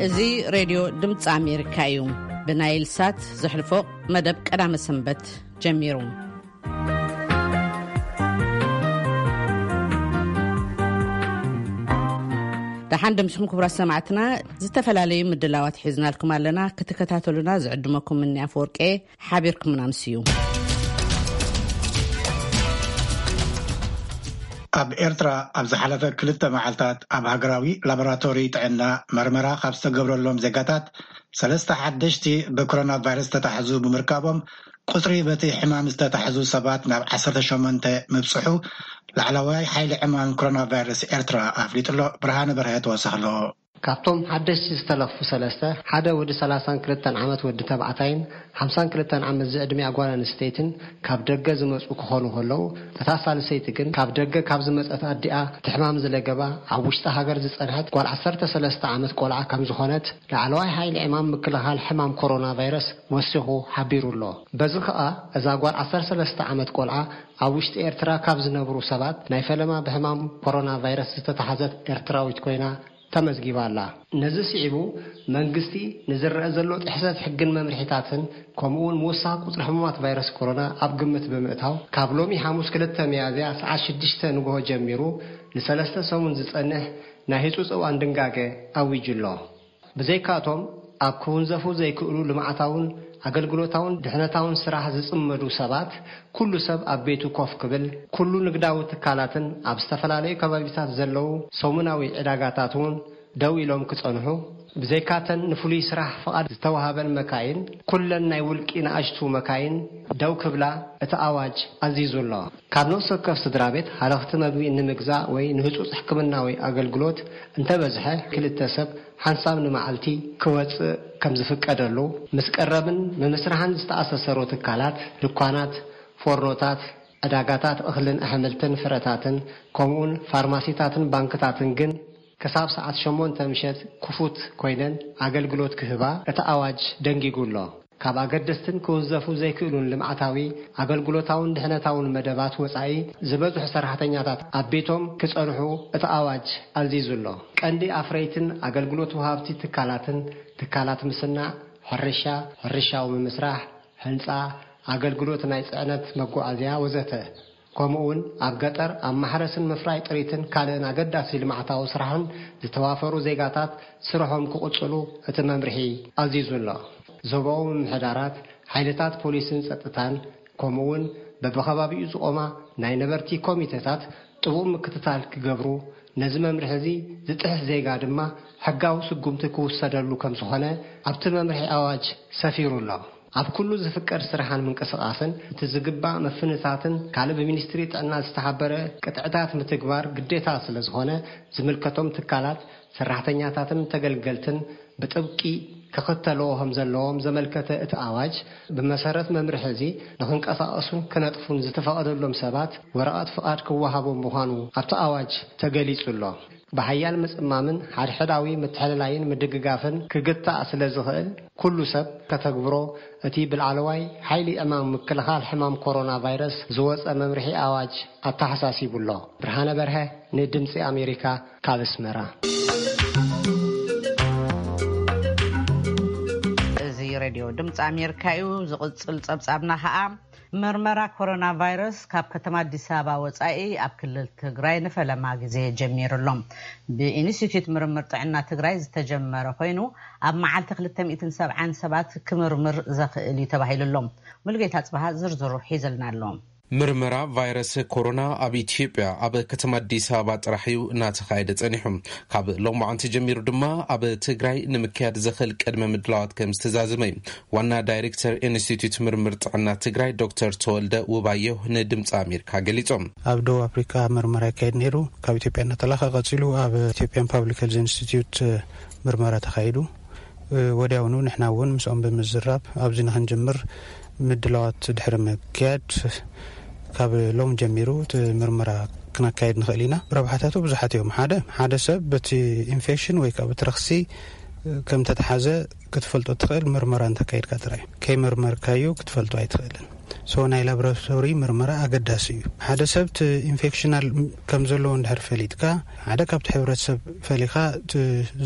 እዚ ሬድዮ ድምፂ ኣሜሪካ እዩ። ብናይል ሳት ዘሕልፎ መደብ ቀዳመ ሰንበት ጀሚሩ። ደሓን ደምስኹም ክቡራት ሰማዕትና፣ ዝተፈላለዩ ምድላዋት ሒዝናልኩም ኣለና። ክትከታተሉና ዝዕድመኩም እኒ ኣፈወርቄ ሓቢርኩምና ምስ እዩ። ኣብ ኤርትራ ኣብ ዝሓለፈ ክልተ መዓልታት ኣብ ሃገራዊ ላቦራቶሪ ጥዕና መርመራ ካብ ዝተገብረሎም ዜጋታት ሰለስተ ሓደሽቲ ብኮሮና ቫይረስ ዝተታሕዙ ብምርካቦም፣ ቁጽሪ በቲ ሕማም ዝተታሕዙ ሰባት ናብ ዓሰርተ ሸሞንተ ምብጽሑ ላዕለዋይ ሓይሊ ዕማም ኮሮና ቫይረስ ኤርትራ ኣፍሊጡ ኣሎ። ብርሃነ በርሀ ተወሳኺ ኣለዎ። ካብቶም ሓደሽቲ ዝተለኽፉ ሰለስተ፣ ሓደ ወዲ ሰላሳን ክልተን ዓመት ወዲ ተባዕታይን ሓምሳን ክልተን ዓመት ዝዕድሚኣ ጓል ኣንስተይትን ካብ ደገ ዝመጹ ክኾኑ ከለዉ፣ እታ ሳልሰይቲ ግን ካብ ደገ ካብ ዝመጸት ኣዲኣ እቲ ሕማም ዝለገባ ኣብ ውሽጢ ሃገር ዝጸንሐት ጓል ዓሰርተ ሰለስተ ዓመት ቆልዓ ከም ዝኾነት ላዕለዋይ ሓይሊ ዕማም ምክልኻል ሕማም ኮሮና ቫይረስ ወሲኹ ሓቢሩ ኣሎ። በዚ ኸኣ እዛ ጓል ዓሰርተ ሰለስተ ዓመት ቆልዓ ኣብ ውሽጢ ኤርትራ ካብ ዝነብሩ ሰባት ናይ ፈለማ ብሕማም ኮሮና ቫይረስ ዝተታሕዘት ኤርትራዊት ኮይና ተመዝጊባ ኣላ። ነዚ ስዒቡ መንግስቲ ንዝረአ ዘሎ ጥሕሰት ሕግን መምርሒታትን ከምኡ እውን ምውሳኽ ቁጽሪ ሕሙማት ቫይረስ ኮሮና ኣብ ግምት ብምእታው ካብ ሎሚ ሓሙስ ክልተ ሚያዝያ ሰዓት ሽዱሽተ ንግሆ ጀሚሩ ንሰለስተ ሰሙን ዝጸንሕ ናይ ህጹጽ እዋን ድንጋገ ኣዊጁ ኣሎ። ብዘይካቶም ኣብ ክውንዘፉ ዘይክእሉ ልምዓታውን ኣገልግሎታውን ድሕነታውን ስራሕ ዝጽመዱ ሰባት፣ ኩሉ ሰብ ኣብ ቤቱ ኮፍ ክብል፣ ኩሉ ንግዳዊ ትካላትን ኣብ ዝተፈላለዩ ከባቢታት ዘለዉ ሰሙናዊ ዕዳጋታት እውን ደው ኢሎም ክጸንሑ፣ ብዘይካተን ንፍሉይ ስራሕ ፍቓድ ዝተዋሃበን መካይን፣ ኩለን ናይ ውልቂ ንኣሽቱ መካይን ደው ክብላ እቲ ኣዋጅ ኣዚዙ ኣሎ። ካብ ነፍሲ ወከፍ ስድራ ቤት ሃለኽቲ መግቢ ንምግዛእ ወይ ንህጹጽ ሕክምናዊ ኣገልግሎት እንተበዝሐ ክልተ ሰብ ሓንሳብ ንመዓልቲ ክወጽእ ከም ዝፍቀደሉ፣ ምስ ቀረብን ምምስራሕን ዝተኣሳሰሩ ትካላት፣ ድኳናት፣ ፎርኖታት፣ ዕዳጋታት እኽልን ኣሕምልትን ፍረታትን፣ ከምኡውን ፋርማሲታትን ባንክታትን ግን ክሳብ ሰዓት ሸሞንተ ምሸት ክፉት ኮይነን ኣገልግሎት ክህባ እቲ ኣዋጅ ደንጊጉ ኣሎ። ካብ ኣገደስትን ክውንዘፉ ዘይክእሉን ልምዓታዊ ኣገልግሎታውን ድሕነታውን መደባት ወጻኢ ዝበዝሑ ሰራሕተኛታት ኣብ ቤቶም ክጸንሑ እቲ ኣዋጅ ኣዚዙ ኣሎ። ቀንዲ ኣፍረይትን ኣገልግሎት ወሃብቲ ትካላትን ትካላት ምስናዕ፣ ሕርሻ፣ ሕርሻዊ ምምስራሕ፣ ህንጻ፣ ኣገልግሎት ናይ ጽዕነት መጓዓዝያ ወዘተ፣ ከምኡውን ኣብ ገጠር ኣብ ማሕረስን ምፍራይ ጥሪትን ካልእን ኣገዳሲ ልምዓታዊ ስራሕን ዝተዋፈሩ ዜጋታት ስርሖም ክቕጽሉ እቲ መምርሒ ኣዚዙ ኣሎ። ዞባዊ ምምሕዳራት፣ ሓይልታት ፖሊስን ጸጥታን፣ ከምኡውን በብኸባቢኡ ዝቖማ ናይ ነበርቲ ኮሚተታት ጥቡቕ ምክትታል ክገብሩ፣ ነዚ መምርሒ እዚ ዝጥሕስ ዜጋ ድማ ሕጋዊ ስጉምቲ ክውሰደሉ ከም ዝኾነ ኣብቲ መምርሒ ኣዋጅ ሰፊሩ ኣሎ። ኣብ ኩሉ ዝፍቀድ ስራሕን ምንቅስቓስን እቲ ዝግባእ ምፍንታትን ካልእ ብሚኒስትሪ ጥዕና ዝተሓበረ ቅጥዕታት ምትግባር ግዴታ ስለ ዝኾነ፣ ዝምልከቶም ትካላት፣ ሰራሕተኛታትን ተገልገልትን ብጥብቂ ክኽተልዎ ከም ዘለዎም ዘመልከተ እቲ ኣዋጅ፣ ብመሰረት መምርሒ እዚ ንኽንቀሳቐሱን ክነጥፉን ዝተፈቐደሎም ሰባት ወረቐት ፍቓድ ክወሃቦም ምዃኑ ኣብቲ ኣዋጅ ተገሊጹ ኣሎ። ብሓያል ምጽማምን ሓድሕዳዊ ምትሕልላይን ምድግጋፍን ክግታእ ስለ ዝኽእል፣ ኩሉ ሰብ ከተግብሮ እቲ ብላዕለዋይ ሓይሊ ዕማም ምክልኻል ሕማም ኮሮና ቫይረስ ዝወጸ መምርሒ ኣዋጅ ኣተሓሳሲቡ ኣሎ። ብርሃነ በርሀ ንድምጺ ኣሜሪካ ካብ ኣስመራ። እዚ ሬድዮ ድምፂ ኣሜሪካ እዩ። ዝቕጽል ጸብጻብና ኸኣ፣ ምርመራ ኮሮና ቫይረስ ካብ ከተማ ኣዲስ ኣበባ ወጻኢ ኣብ ክልል ትግራይ ንፈለማ ግዜ ጀሚሩ ኣሎ። ብኢንስቲትዩት ምርምር ጥዕና ትግራይ ዝተጀመረ ኮይኑ፣ ኣብ መዓልቲ ክልተ ሚእትን ሰብዓን ሰባት ክምርምር ዘኽእል እዩ ተባሂሉ ኣሎ። ሙሉጌታ ጽባሃ ዝርዝሩ ሒዝልና ኣሎ። ምርመራ ቫይረስ ኮሮና ኣብ ኢትዮጵያ ኣብ ከተማ ኣዲስ ኣበባ ጥራሕ እዩ እናተኻየደ ጸኒሑ። ካብ ሎማዓንቲ ጀሚሩ ድማ ኣብ ትግራይ ንምክያድ ዘኽእል ቅድመ ምድላዋት ከም ዝተዛዘመ እዩ ዋና ዳይሬክተር ኢንስቲትዩት ምርምር ጥዕና ትግራይ ዶክተር ተወልደ ውባየሁ ንድምፂ ኣሜሪካ ገሊጾም። ኣብ ደቡብ ኣፍሪካ ምርመራ ይካየድ ነይሩ። ካብ ኢትዮጵያ እናተላኸ ቀጺሉ ኣብ ኢትዮጵያን ፓብሊክ ሄልዝ ኢንስቲትዩት ምርመራ ተኻይዱ። ወዲያውኑ ንሕና እውን ምስኦም ብምዝራብ ኣብዚ ንክንጅምር ምድላዋት ድሕሪ ምክያድ፣ ካብ ሎም ጀሚሩ እቲ ምርመራ ክነካየድ ንኽእል ኢና። ረብሓታቱ ብዙሓት እዮም። ሓደ፣ ሓደ ሰብ በቲ ኢንፌክሽን ወይ ከዓ በቲ ረኽሲ ከም ተተሓዘ ክትፈልጦ ትኽእል ምርመራ እንተካይድካ ጥራይ። ከይመርመርካዮ ክትፈልጦ ኣይትኽእልን። ሶ ናይ ላብራቶሪ ምርመራ ኣገዳሲ እዩ። ሓደ ሰብ እቲ ኢንፌክሽናል ከም ዘለዎ እንድሕር ፈሊጥካ፣ ሓደ ካብቲ ሕብረተሰብ ፈሊኻ እቲ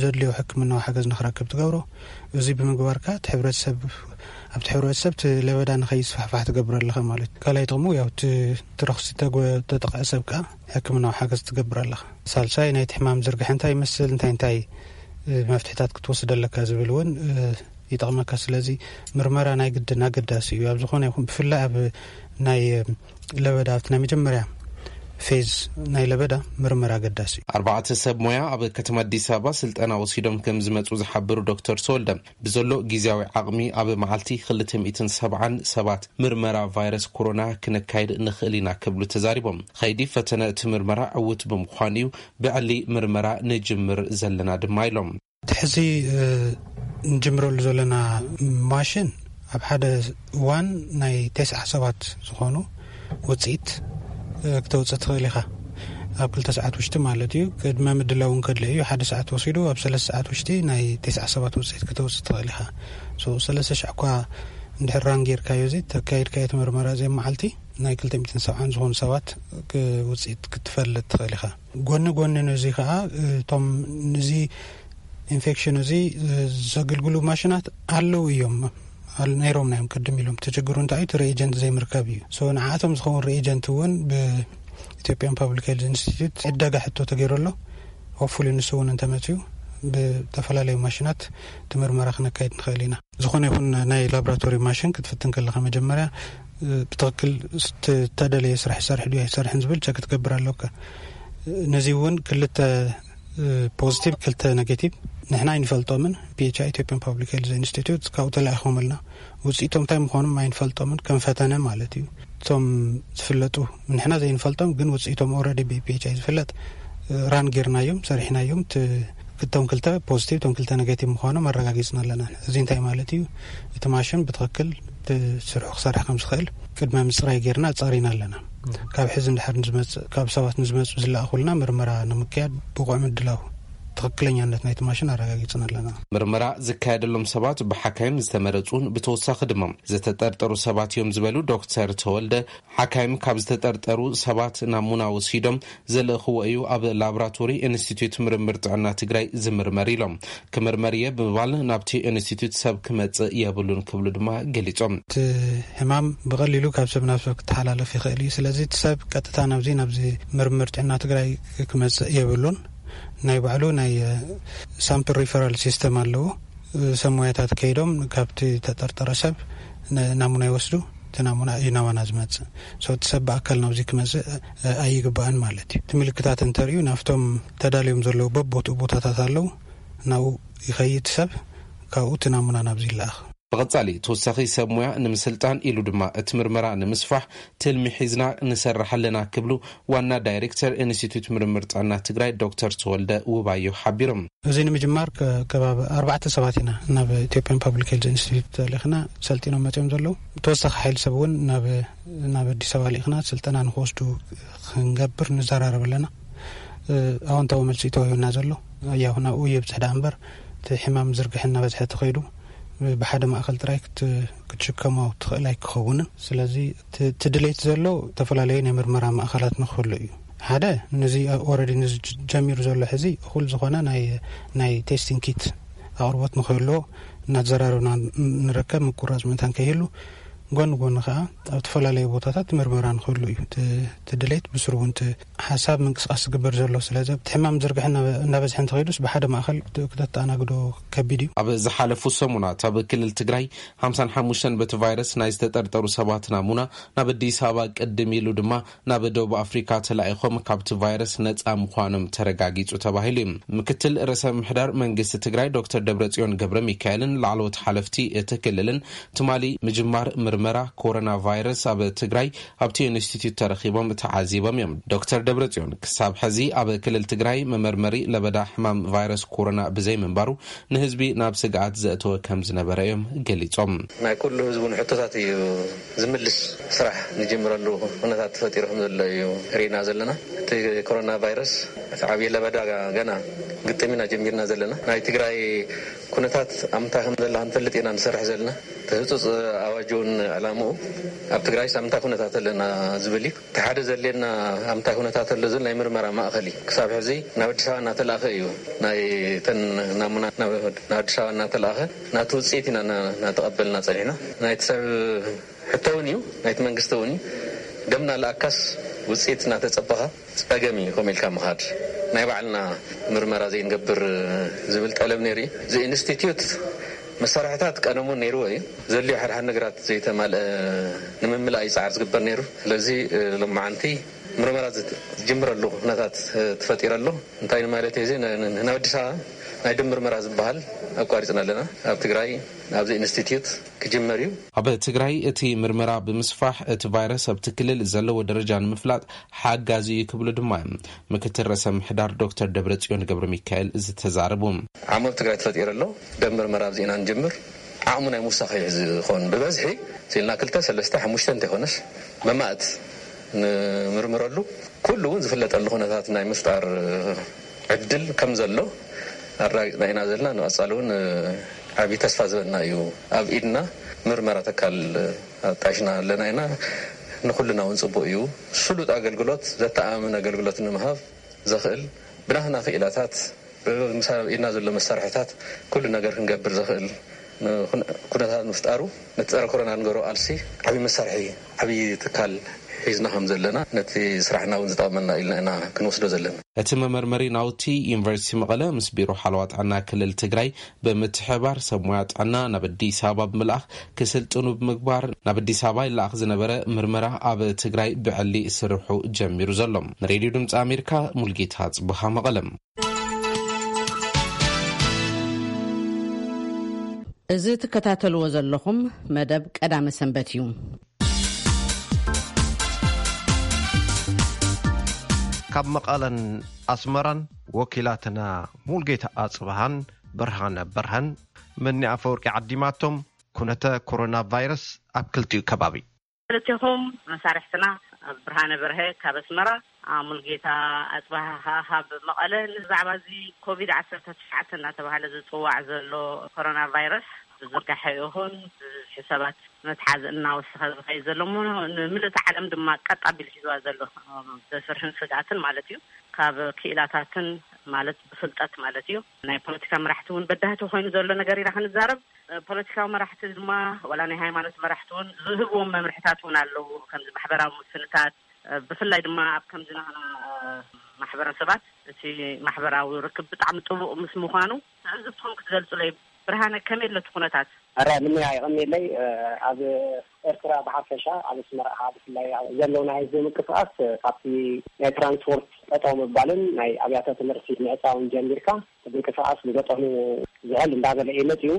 ዘድልዮ ሕክምናዊ ሓገዝ ንኽረክብ ትገብሮ። እዚ ብምግባርካ እቲ ሕብረተሰብ ኣብቲ ሕብረተሰብ እቲ ለበዳ ንኸይስፋሕፋሕ ትገብር ኣለኻ ማለት እዩ። ካልኣይ ጥቕሙ ያው እቲ እቲ ረኽሲ ተጎ- ተጠቕዐ ሰብ ከኣ ሕክምናዊ ሓገዝ ትገብር ኣለኻ። ሳልሳይ ናይቲ ሕማም ዝርግሐ እንታይ ይመስል፣ እንታይ እንታይ መፍትሕታት ክትወስድ ኣለካ ዝብል እውን ይጠቕመካ። ስለዚ ምርመራ ናይ ግድን ኣገዳሲ እዩ። ኣብ ዝኾነ ይኹን ብፍላይ ኣብ ናይ ለበዳ ኣብቲ ናይ መጀመርያ ፌዝ ናይ ለበዳ ምርመራ ኣገዳሲ እዩ። ኣርባዕተ ሰብ ሞያ ኣብ ከተማ ኣዲስ ኣበባ ስልጠና ወሲዶም ከም ዝመፁ ዝሓበሩ ዶክተር ተወልደ፣ ብዘሎ ግዜያዊ ዓቕሚ ኣብ መዓልቲ ክልተ ሚእትን ሰብዓን ሰባት ምርመራ ቫይረስ ኮሮና ክነካይድ ንኽእል ኢና ክብሉ ተዛሪቦም። ኸይዲ ፈተነ እቲ ምርመራ ዕውት ብምዃኑ እዩ ብዕሊ ምርመራ ንጅምር ዘለና ድማ ኢሎም። እቲ ሕዚ ንጅምረሉ ዘለና ማሽን ኣብ ሓደ እዋን ናይ ተስዓ ሰባት ዝኾኑ ውፅኢት ክተውፅእ ትኽእል ኢኻ። ኣብ ክልተ ሰዓት ውሽጢ ማለት እዩ። ቅድመ ምድላው እውን ከድለ እዩ። ሓደ ሰዓት ወሲዱ ኣብ ሰለስተ ሰዓት ውሽጢ ናይ ተስዓ ሰባት ውፅኢት ክተውፅእ ትኽእል ኢኻ። ሰለስተ ሽሕ እኳ እንድሕር ራን ጌርካዮ እዚ ተካይድካዮ እቲ ምርመራ እዚ መዓልቲ ናይ ክልተ ሚእትን ሰብዓን ዝኾኑ ሰባት ውፅኢት ክትፈልጥ ትኽእል ኢኻ። ጎኒ ጎኒ ነዚ ከዓ እቶም ንዚ ኢንፌክሽን እዚ ዘገልግሉ ማሽናት ኣለዉ እዮም። ነይሮም ናዮም ቅድም ኢሎም። እቲ ችግሩ እንታይ እዩ? እቲ ሪኤጀንት ዘይምርካብ እዩ። ንዓቶም ዝኸውን ሪኤጀንት እውን ብኢትዮጵያን ፓብሊክ ሄልዝ ኢንስቲትዩት ዕደጋ ሕቶ ተገይሩ ኣሎ። ሆፕፉሊ ንሱ እውን እንተመፅዩ ብተፈላለዩ ማሽናት እቲ ምርመራ ክነካይድ ንኽእል ኢና። ዝኾነ ይኹን ናይ ላብራቶሪ ማሽን ክትፍትን ከለኻ መጀመርያ ብትኽክል ዝተደለየ ስራሕ ይሰርሕ ድዩ ኣይሰርሕን ዝብል ቸክ ክትገብር ኣለካ። ነዚ እውን ክልተ ፖዚቲቭ ክልተ ኔጌቲቭ ንሕና ኣይንፈልጦምን። ፒኤችኣይ ኢትዮጵያን ፓብሊክ ሄልዝ ኢንስቲትዩት ካብኡ ተላኢኾምልና ውፅኢቶም እንታይ ምዃኖም ኣይንፈልጦምን ከም ፈተነ ማለት እዩ። እቶም ዝፍለጡ ንሕና ዘይንፈልጦም ግን ውፅኢቶም ኦልሬዲ ብፒኤችኣይ ዝፍለጥ ራን ጌርናዮም ሰሪሕናዮም። ክልተ ፖዚቲቭ እቶም ክልተ ኔጌቲቭ ምዃኖም ኣረጋጊፅና ኣለና። እዚ እንታይ ማለት እዩ? እቲ ማሽን ብትኽክል ስርሑ ክሰርሕ ከም ዝኽእል ቅድመ ምፅራይ ጌርና ኣፃሪና ኣለና። ካብ ሕዚ እንድሕር ንዝመፅእ ካብ ሰባት ንዝመፁ ዝለኣኹልና ምርመራ ንምክያድ ብቑዕ ምድላው ትኽክለኛነት ናይቲ ማሽን ኣረጋጊፅና ኣለና። ምርመራ ዝካየደሎም ሰባት ብሓካይም ዝተመረፁን ብተወሳኺ ድማ ዝተጠርጠሩ ሰባት እዮም ዝበሉ ዶክተር ተወልደ፣ ሓካይም ካብ ዝተጠርጠሩ ሰባት ናሙና ወሲዶም ዘልእኽዎ እዩ ኣብ ላቦራቶሪ ኢንስቲትዩት ምርምር ጥዕና ትግራይ ዝምርመር ኢሎም። ክምርመር እየ ብምባል ናብቲ ኢንስቲትዩት ሰብ ክመፅእ የብሉን ክብሉ ድማ ገሊፆም። እቲ ሕማም ብቐሊሉ ካብ ሰብ ናብ ሰብ ክተሓላለፍ ይኽእል እዩ። ስለዚ እቲ ሰብ ቀጥታ ናብዚ ናብዚ ምርምር ጥዕና ትግራይ ክመፅእ የብሉን። ናይ ባዕሉ ናይ ሳምፕል ሪፈራል ሲስተም ኣለዎ። ሰብ ሞያታት ከይዶም ካብቲ ተጠርጠረ ሰብ ናሙና ይወስዱ። እቲ ናሙና እዩ ናባና ዝመፅእ። እቲ ሰብ ብኣካል ናብዚ ክመፅእ ኣይግባእን ማለት እዩ። እቲ ምልክታት እንተርእዩ ናብቶም ተዳልዮም ዘለዉ በቦትኡ ቦታታት ኣለዉ። ናብኡ ይኸይድ ሰብ፣ ካብኡ እቲ ናሙና ናብዚ ይለኣኽ። ብቐጻሊ ተወሳኺ ሰብ ሞያ ንምስልጣን ኢሉ ድማ እቲ ምርመራ ንምስፋሕ ትልሚ ሒዝና ንሰርሕ ኣለና ክብሉ ዋና ዳይሬክተር ኢንስቲትዩት ምርምር ጥዕና ትግራይ ዶክተር ተወልደ ውባዮ ሓቢሮም። እዚ ንምጅማር ከባቢ ኣርባዕተ ሰባት ኢና ናብ ኢትዮጵያን ፓብሊክ ሄልዝ ኢንስቲትዩት ተልእኽና ሰልጢኖም መፅኦም ዘለዉ። ተወሳኺ ሓይሊ ሰብ እውን ናብ ኣዲስ ኣበባ ልኢኽና ስልጠና ንክወስዱ ክንገብር ንዘራረብ ኣለና። ኣወንታዊ መልሲ እዩ ተዋሂቡና ዘሎ። ያው ናብኡ የብፅሕ ደኣ እምበር እቲ ሕማም ዝርግሐ እናበዝሐ ተኸይዱ ብሓደ ማእኸል ጥራይ ክትሽከሞ ትኽእል ኣይክኸውንን። ስለዚ እቲ ድሌት ዘሎ ዝተፈላለዩ ናይ ምርመራ ማእኸላት ንክህሉ እዩ። ሓደ ነዚ ኦረዲ ነዚ ጀሚሩ ዘሎ ሕዚ እኹል ዝኾነ ናይ ቴስቲንግ ኪት ኣቕርቦት ንክህልዎ እናተዘራረብና ንርከብ። ምቁራፅ መታን ከይህሉ ጎኒ ጎኒ ከዓ ኣብ ዝተፈላለዩ ቦታታት ምርመራ ንክህሉ እዩ እቲ ድሌት። ብስሩ እውን እቲ ሓሳብ ምንቅስቃስ ዝግበር ዘሎ። ስለዚ እቲ ሕማም ዝርግሐ እናበዝሐ እንተኸይዱስ ብሓደ ማእኸል ክተተኣናግዶ ከቢድ እዩ። ኣብ ዝሓለፉ ሰሙናት ኣብ ክልል ትግራይ ሓምሳን ሓሙሽተን በቲ ቫይረስ ናይ ዝተጠርጠሩ ሰባት ናሙና ናብ ኣዲስ ኣበባ ቅድም ኢሉ ድማ ናብ ደቡብ ኣፍሪካ ተላኢኾም ካብቲ ቫይረስ ነፃ ምዃኖም ተረጋጊፁ ተባሂሉ እዩ። ምክትል ርእሰ ምምሕዳር መንግስቲ ትግራይ ዶክተር ደብረፅዮን ገብረ ሚካኤልን ላዕለዎት ሓለፍቲ እቲ ክልልን ትማሊ ምጅማር ምርመራ ኮሮና ቫይረስ ኣብ ትግራይ ኣብቲ ኢንስቲትዩት ተረኺቦም ተዓዚቦም እዮም። ዶክተር ደብረፅዮን ክሳብ ሕዚ ኣብ ክልል ትግራይ መመርመሪ ለበዳ ሕማም ቫይረስ ኮሮና ብዘይምንባሩ ንህዝቢ ናብ ስግኣት ዘእተወ ከም ዝነበረ እዮም ገሊፆም። ናይ ኩሉ ህዝቡ ንሕቶታት እዩ ዝምልስ ስራሕ ንጅምረሉ ኩነታት ተፈጢሩ ከም ዘሎ እዩ ርኢና ዘለና። እቲ ኮሮና ቫይረስ እቲ ዓብዪ ለበዳ ገና ግጥም ኢና ጀሚርና ዘለና። ናይ ትግራይ ኩነታት ኣብ ምንታይ ከም ዘላ ክንፈልጥ ኢና ንሰርሕ ዘለና። እቲ ህፁፅ ኣዋጅ እውን ዕላምኡ ኣብ ትግራይ ኣብ ምንታይ ኩነታት ኣለና ዝብል እዩ። እቲ ሓደ ዘድልየና ኣብ ምንታይ ኩነታት ኣሎ ዝብል ናይ ምርመራ ማእኸል እዩ። ክሳብ ሕዚ ናብ ኣዲስ ኣበባ እናተላእኸ እዩ። ናይ ተን ናሙና ናብ ኣዲስ ኣበባ እናተላእኸ ናቲ ውፅኢት ኢና እናተቐበልና ፀኒሕና። ናይቲ ሰብ ሕቶ እውን እዩ፣ ናይቲ መንግስቲ እውን እዩ። ደምና ለኣካስ ውፅኢት እናተፀበኻ ፀገም እዩ ከምኡ ኢልካ ምኻድ። ናይ ባዕልና ምርመራ ዘይንገብር ዝብል ጠለብ ነይሩ እዩ። እዚ ኢንስቲትዩት መሳርሕታት ቀደሙ ነይርዎ እዩ። ዘድልዮ ሓድሓድ ነገራት ዘይተማልአ ንምምላእ እዩ ፃዕሪ ዝግበር ነይሩ። ስለዚ ሎማዓንቲ ምርመራ ዝጅምረሉ ኩነታት ተፈጢረ ኣሎ። እንታይ ማለት እዚ ናብ ኣዲስ ኣበባ ናይ ደም ምርመራ ዝበሃል ኣቋሪፅና ኣለና። ኣብ ትግራይ ኣብዚ ኢንስቲትዩት ክጅመር እዩ። ኣብ ትግራይ እቲ ምርመራ ብምስፋሕ እቲ ቫይረስ ኣብቲ ክልል ዘለዎ ደረጃ ንምፍላጥ ሓጋዚ እዩ ክብሉ ድማ እዮም ምክትል ርእሰ ምሕዳር ዶክተር ደብረጽዮን ገብረ ሚካኤል ዝተዛረቡ። ዓቕሚ ኣብ ትግራይ ተፈጢሩ ኣሎ። ደም ምርመራ ኣብዚ ኢና ንጅምር። ዓቕሙ ናይ ምውሳኽ እዩ ዝኸውን። ብበዝሒ ሲልና ክልተ ሰለስተ ሓሙሽተ እንተይኮነስ መማእት ንምርምረሉ ኩሉ እውን ዝፍለጠሉ ኩነታት ናይ ምፍጣር ዕድል ከም ዘሎ ኣረጋጊፅና ኢና ዘለና። ንቐፃሊ እውን ዓብዪ ተስፋ ዝበና እዩ። ኣብ ኢድና ምርመራ ተካል ኣጣይሽና ኣለና ኢና። ንኩልና እውን ፅቡቅ እዩ። ስሉጥ ኣገልግሎት፣ ዘተኣማምን ኣገልግሎት ንምሃብ ዘኽእል ብናህና ክኢላታት፣ ምስ ኣብ ኢድና ዘሎ መሳርሕታት ኩሉ ነገር ክንገብር ዘኽእል ኩነታት ምፍጣሩ፣ ነቲ ጸረ ኮሮና ንገሮ ቃልሲ ዓብዪ መሳርሒ፣ ዓብዪ ትካል ሒዝና ከም ዘለና፣ ነቲ ስራሕና እውን ዝጠቕመና ኢልና ኢና ክንወስዶ ዘለና። እቲ መመርመሪ ናውቲ ዩኒቨርሲቲ መቐለ ምስ ቢሮ ሓለዋ ጥዕና ክልል ትግራይ ብምትሕባር ሰብ ሞያ ጥዕና ናብ ኣዲስ ኣበባ ብምልኣኽ ክስልጥኑ ብምግባር፣ ናብ ኣዲስ ኣበባ ይለኣኽ ዝነበረ ምርመራ ኣብ ትግራይ ብዕሊ ስርሑ ጀሚሩ ዘሎ። ንሬድዮ ድምፂ ኣሜሪካ ሙልጌታ ጽቡሃ መቐለም። እዚ ትከታተልዎ ዘለኹም መደብ ቀዳመ ሰንበት እዩ። ካብ መቐለን ኣስመራን ወኪላትና ሙልጌታ ኣጽብሃን ብርሃነ በርሀን መኒ ኣፈወርቂ ዓዲማቶም ኩነተ ኮሮና ቫይረስ ኣብ ክልቲኡ ከባቢ። ክልቴኹም መሳርሕትና ብርሃነ በርሀ ካብ ኣስመራ፣ ኣ፣ ሙልጌታ ኣጽብሃ ካብ መቐለ፣ ንዛዕባ እዚ ኮቪድ ዓሰርተ ትሽዓተ እናተባህለ ዝጽዋዕ ዘሎ ኮሮና ቫይረስ ብዝርጋሐ ይኹን ብዝሒ ሰባት መትሓዚ እናወሰኸ ዝኸይድ ዘሎ እሞ፣ ንምልእቲ ዓለም ድማ ቀጥ ኣቢሉ ሒዝዋ ዘሎ ዘፍርህን ስግኣትን ማለት እዩ። ካብ ክኢላታትን ማለት ብፍልጠት ማለት እዩ። ናይ ፖለቲካ መራሕቲ እውን በዳህቲ ኮይኑ ዘሎ ነገር ኢና ክንዛረብ። ፖለቲካዊ መራሕቲ ድማ ዋላ ናይ ሃይማኖት መራሕቲ እውን ዝህብዎም መምርሕታት እውን ኣለዉ። ከምዚ ማሕበራዊ ምፍንታት፣ ብፍላይ ድማ ኣብ ከምዚ ናህና ማሕበረሰባት እቲ ማሕበራዊ ርክብ ብጣዕሚ ጥቡቕ ምስ ምዃኑ ትዕዝብትኹም ክትገልጹለይ። ብርሃነ፣ ከመይ ኣሎ እቲ ኩነታት? ኣረ፣ ምንያ ይቐንየለይ። ኣብ ኤርትራ ብሓፈሻ፣ ኣብ ኣስመራ ከዓ ብፍላይ፣ ኣብ ዘሎ ናይ ህዝቢ ምንቅስቃስ፣ ካብቲ ናይ ትራንስፖርት ጠጠው ምባልን ናይ ኣብያተ ትምህርቲ ምዕጻውን ጀሚርካ፣ እቲ ምንቅስቃስ ብመጠኑ ዝሕል እንዳበለ እዩ መጺኡ።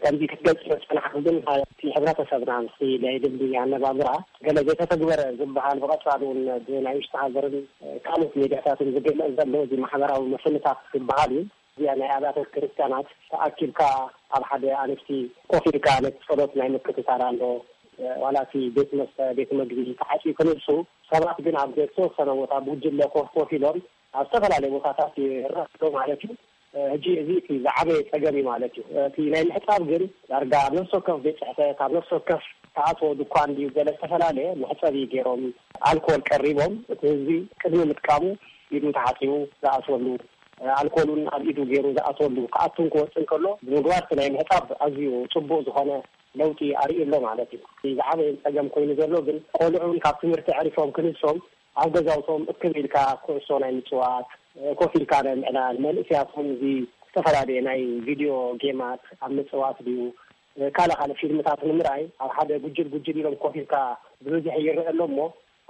ከምዚ ክትገልጽ ዝጸናሕኩ ግን፣ እቲ ሕብረተሰብና ምስቲ ናይ ልምዲ ኣነባብራ ገለ ዘይተተግበረ ዝበሃል፣ ብቐጻሊ እውን ብናይ ውሽጢ ሃገርን ካልኦት ሚድያታትን ዝግለጽ ዘሎ እዚ ማሕበራዊ ምፍንታት ዝበሃል እዩ። እዚኣ ናይ ኣብያተ ክርስቲያናት ተኣኪብካ ኣብ ሓደ ኣንስቲ ኮፍ ኢልካ ነቲ ጸሎት ናይ ምክትታል ኣሎ። ዋላ እቲ ቤት መስተ፣ ቤት መግቢ ተዓጽዩ ክንሱ፣ ሰባት ግን ኣብ ዝተወሰነ ቦታ ብጉጅለ ኮፍ ኮፍ ኢሎም ኣብ ዝተፈላለየ ቦታታት ይረኣዩ ማለት እዩ። ሕጂ እዚ እቲ ዝዓበየ ጸገም እዩ ማለት እዩ። እቲ ናይ ምሕጻብ ግን ዳርጋ ኣብ ነፍሲ ወከፍ ቤት ጽሕፈት፣ ኣብ ነፍሲ ወከፍ ተኣትዎ ድኳን ድዩ ገለ ዝተፈላለየ መሕጸቢ ገይሮም፣ ኣልኮል ቀሪቦም፣ እቲ ህዝቢ ቅድሚ ምጥቃሙ ኢዱ ተሓጺቡ ዝኣትወሉ፣ ኣልኮሉን ኣብ ኢዱ ገይሩ ዝኣትወሉ፣ ክኣቱን ክወጽእን ከሎ ብምግባር፣ እቲ ናይ ምሕጻብ ኣዝዩ ጽቡቕ ዝኾነ ለውጢ ኣርእዩ ኣሎ ማለት እዩ። እቲ ዝዓበየ ጸገም ኮይኑ ዘሎ ግን፣ ቆልዑ እውን ካብ ትምህርቲ ኣዕሪፎም ክንሶም፣ ኣብ ገዛውቶም እክብ ኢልካ ኩዕሶ ናይ ምጽዋት፣ ኮፍ ኢልካ ናይ ምዕላል፣ መንእሰያት እውን እዚ ዝተፈላለየ ናይ ቪድዮ ጌማት ኣብ ምጽዋት ድዩ፣ ካልእ ካልእ ፊልምታት ንምርኣይ ኣብ ሓደ ጉጅል ጉጅል ኢሎም ኮፍ ኢልካ ብብዝሒ ይረአ ኣሎ እሞ፣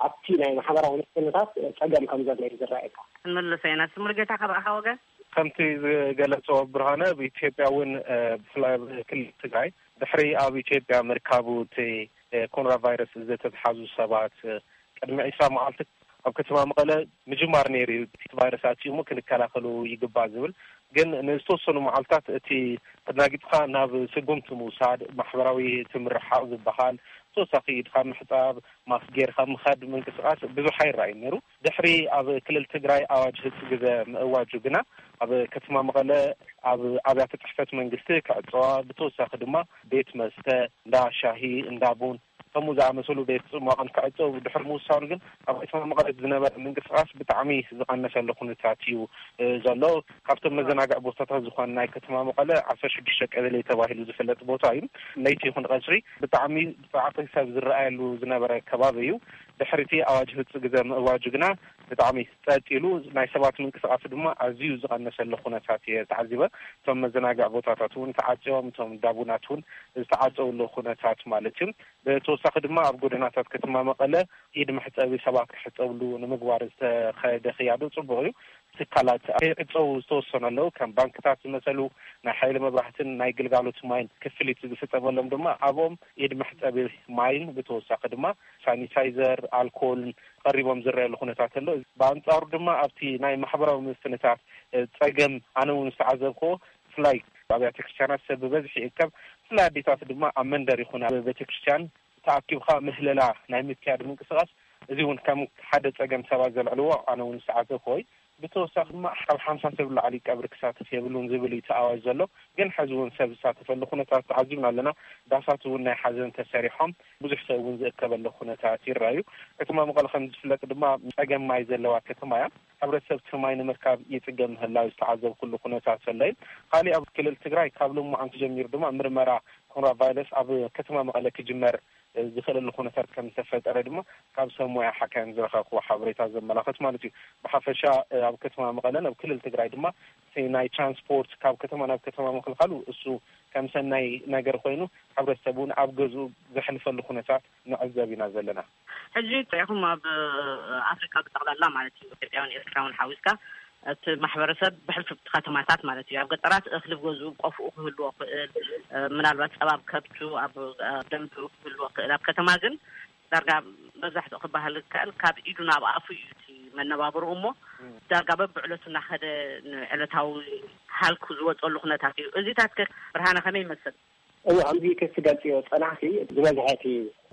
ኣብቲ ናይ ማሕበራዊ ምፍንታት ጸገም ከም ዘሎ እዩ ዝረኣየካ። ክንምልሶ ኢና። እስቲ ሙሉጌታ፣ ካባኻ ወገን? ከምቲ ዝገለጾ ብርሃነ፣ ኣብ ኢትዮጵያ እውን፣ እ፣ ብፍላይ ኣብ ክልል ትግራይ፣ ድሕሪ ኣብ ኢትዮጵያ ምርካቡ እቲ፣ እ፣ ኮሮና ቫይረስ ዝተትሓዙ ሰባት፣ እ፣ ቅድሚ ዕስራ መዓልቲ ኣብ ከተማ መቐለ ምጅማር ነይሩ እዩ። እቲ ቫይረስ ኣትዩ እሞ ክንከላኸሉ ይግባእ ዝብል፣ ግን ንዝተወሰኑ መዓልታት እቲ ተደናጊጽካ ናብ ስጉምቲ ምውሳድ፣ ማሕበራዊ እቲ ምርሓቕ ዝበሃል፣ ተወሳኺ ኢድካ ምሕጻብ፣ ማስክ ጌርካ ምኻድ፣ ምንቅስቓስ ብዙሕ ኣይረኣይን ነይሩ። ድሕሪ ኣብ ክልል ትግራይ ኣዋጅ ህጽ ግዘ ምእዋጁ ግና፣ ኣብ ከተማ መቐለ ኣብ ኣብያተ ጽሕፈት መንግስቲ ክዕጸዋ፣ ብተወሳኺ ድማ ቤት መስተ፣ እንዳ ሻሂ፣ እንዳ ቡን፣ ከምኡ ዝኣመሰሉ ቤት ጽሟቕን ክዕጸው ድሕሪ ምውሳኑ ግን፣ ኣብ ከተማ መቐለ ዝነበረ ምንቅስቓስ ብጣዕሚ ዝቐነሰሉ ኩነታት እዩ፣ እ፣ ዘሎ። ካብቶም መዘናግዒ ቦታታት ዝኾነ ናይ ከተማ መቐለ ዓሰርተ ሽዱሽተ ቀበሌ ተባሂሉ ዝፍለጥ ቦታ እዩ። ለይቲ ይኹን ቀትሪ ብጣዕሚ ጻዕቂ ሰብ ዝረኣየሉ ዝነበረ ከባቢ እዩ። ድሕሪ እቲ ኣዋጅ ህጹ ግዘ ምእዋጁ ግና ብጣዕሚ ጸጥ ኢሉ፣ ናይ ሰባት ምንቅስቓስ ድማ ኣዝዩ ዝቐነሰሉ ኩነታት እየ ተዓዚበ። እቶም መዘናግዒ ቦታታት እውን ተዓጽዮም፣ እቶም ዳቡናት እውን ዝተዓጸውሉ ኩነታት ማለት እዩ። ብተወሳኺ ድማ ኣብ ጎደናታት ከተማ መቐለ ኢድ መሕጸቢ ሰባት ክሕጸብሉ ንምግባር ዝተኸደ ክያዶ ጽቡቕ እዩ። ትካላት ከይዕጸው ዝተወሰኑ ኣለዉ። ከም ባንክታት ዝመሰሉ፣ ናይ ሓይሊ መብራህትን ናይ ግልጋሎት ማይን ክፍሊት ዝፍጸመሎም ድማ ኣብኦም ኢድ መሕጸቢ ማይን ብተወሳኺ ድማ ሳኒታይዘር፣ ኣልኮልን ቀሪቦም ዝረኣየሉ ኩነታት ኣሎ። ብኣንጻሩ ድማ ኣብቲ ናይ ማሕበራዊ ምፍንታት፣ እ፣ ጸገም ኣነ እውን ዝተዓዘብክዎ፣ ብፍላይ ኣብያተ ክርስቲያናት ሰብ ብበዝሒ ይእከብ። ብፍላይ ኣዴታት ድማ ኣብ መንደር ይኹን ኣብ ቤተ ክርስቲያን ተኣኪብካ ምህለላ ናይ ምክያድ ምንቅስቓስ፣ እዚ እውን ከም ሓደ ጸገም ሰባት ዘልዕልዎ ኣነ እውን ዝተዓዘብክዎ እዩ። ብተወሳኺ ድማ ካብ ሓምሳ ሰብ ላዕሊ ቀብሪ ክሳተፍ የብሉን ዝብል እዩ እቲ ኣዋጅ ዘሎ። ግን ሕዚ እውን ሰብ ዝሳተፈሉ ኩነታት ተዓዚብና ኣለና። ዳሳት እውን ናይ ሓዘን ተሰሪሖም፣ ብዙሕ ሰብ እውን ዝእከበሉ ኩነታት ይረኣዩ። ከተማ መቐለ ከም ዝፍለጥ ድማ ጸገም ማይ ዘለዋ ከተማ እያ። ሕብረተሰብ እቲ ማይ ንምርካብ ይጽገም ምህላው ዝተዓዘብኩሉ ኩነታት ዘሎ እዩ። ካሊእ ኣብ ክልል ትግራይ ካብ ሎማዓንቲ ጀሚሩ ድማ ምርመራ ኮሮና ቫይረስ ኣብ ከተማ መቐለ ክጅመር ዝኽእለሉ ኩነታት ከም ዝተፈጠረ ድማ ካብ ሰብ ሞያ ሓካይም ዝረኸብክዎ ሓበሬታ ዘመላኽት ማለት እዩ። ብሓፈሻ፣ እ፣ ኣብ ከተማ መቐለን ኣብ ክልል ትግራይ ድማ እቲ ናይ ትራንስፖርት ካብ ከተማ ናብ ከተማ ምኽልኻሉ እሱ ከም ሰናይ ነገር ኮይኑ፣ ሕብረተሰብ እውን ኣብ ገዝኡ ዘሕልፈሉ ኩነታት ንዕዘብ ኢና ዘለና። ሕጂ ሪኢኹም ኣብ ኣፍሪካ ብጠቕላላ ማለት እዩ፣ ኢትዮጵያውን ኤርትራውን ሓዊስካ፣ እቲ ማሕበረሰብ ብሕልፍቲ ከተማታት ማለት እዩ፣ ኣብ ገጠራት እኽሊ ኣብ ገዝኡ ቆፍኡ ክህልዎ ክእል፣ እ፣ ምናልባት ጸባ ኣብ ከብቱ፣ ኣብ፣ እ፣ ደምቱ ክህልዎ ክእል። ኣብ ከተማ ግን ዳርጋ መብዛሕትኡ ክበሃል ዝከእል ካብ ኢዱ ናብ ኣፉ እዩ እቲ መነባብርኡ እሞ፣ ዳርጋ በብዕለቱ እናኸደ ንዕለታዊ ሃልኩ ዝወፀሉ ኩነታት እዩ። እዚታት ከ ብርሃነ ከመይ ይመስል? እዎ፣ ከምዚ ክትገልጽዮ ጸናሕቲ፣ ዝበዝሐ እቲ፣